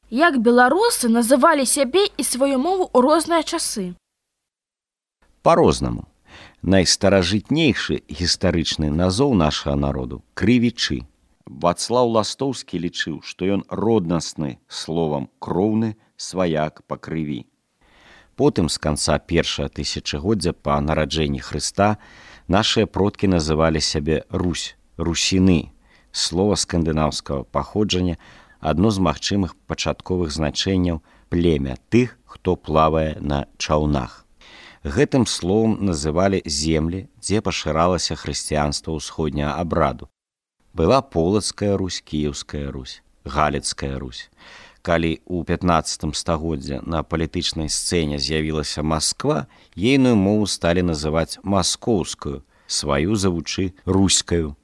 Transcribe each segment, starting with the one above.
Як беларусы называлі сябе і сваю мову ў розныя часы? Па-рознаму. Найстаражытнейшы гістарычны назоў нашага народу – крывічы. Вацлаў Ластоўскі лічыў, што ён роднасны словам кроўны сваяк па крыві. Потым з канца першага тысячагоддзя па нараджэнні Хрыста нашыя продкі называлі сябе Русь, русіны. Слова скандынаўскага паходжання – адно з магчымых пачатковых значэнняў племя тых, хто плавае на чаўнах. Гэтым словам называлі землі, дзе пашыралася хрысціянства ўсходняга абраду. Была Полацкая Русь, Кіеўская Русь, Галіцкая Русь. Калі ў 15 стагоддзя на палітычнай сцэне з'явілася Масква, ейную мову сталі называць маскоўскую, сваю завучы руськаю.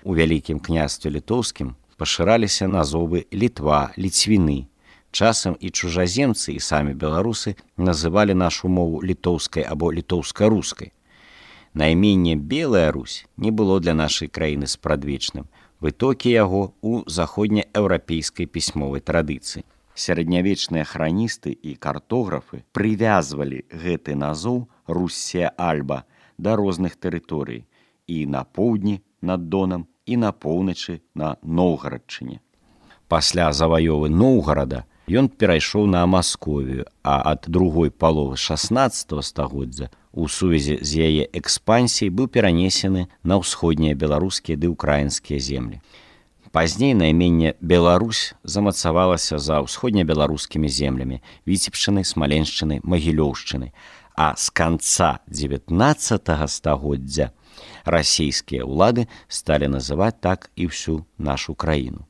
У Вялікім княстве літоўскім пашыраліся назовы Літва, Ліцвіны. Часам і чужаземцы, і самі беларусы называлі нашу мову літоўскай або літоўска-рускай. Найменне Белая Русь не было для нашай краіны спрадвечным. Вытокі яго ў заходнееўрапейскай пісьмовай традыцыі. Сярэднявечныя храністы і картографы прывязвалі гэты назоў Руссія Альба да розных тэрыторый і на поўдні над Донам, і на поўначы на Новгарадчыне. Пасля заваёвы Новгарада ён перайшоў на Масковію, а ад другой паловы 16 стагоддзя у сувязі з яе экспансіяй быў перанесены на ўсходнія беларускія ды ўкраінскія землі. Пазней найменне Беларусь замацавалася за ўсходнебеларускімі землямі Віцебшчыны, Смаленшчыны, Магілёўшчыны, а з канца 19 стагоддзя расійскія ўлады сталі называць так і ўсю нашу краіну.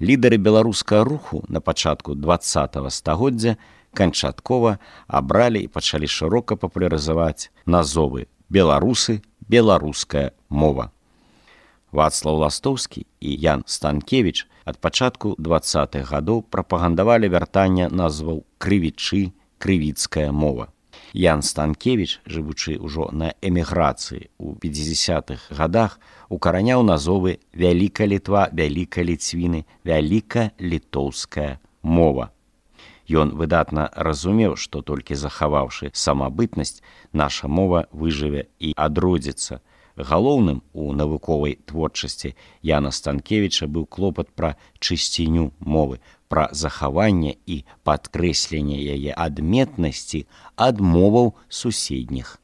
Лідары беларускага руху на пачатку 20 стагоддзя канчаткова абралі і пачалі шырока папулярызаваць назовы беларусы, беларуская мова. Вацлаў Ластоўскі і Ян Станкевіч ад пачатку 20-х гадоў прапагандавалі вяртанне назваў крывічы, крывіцкая мова. Ян Станкевіч, жывучы ўжо на эміграцыі ў 50-х гадах, укараняў назовы Вялікая Літва, Вялікая Ліцвіны, Вяліка-літоўская мова. Ён выдатна разумеў, што толькі захаваўшы самабытнасць, наша мова выжыве і адродзіцца. Галоўным у навуковай творчасці Яна Станкевіча быў клопат пра чысціню мовы, пра захаванне і падкрэсленне яе адметнасці ад моваў суседніх.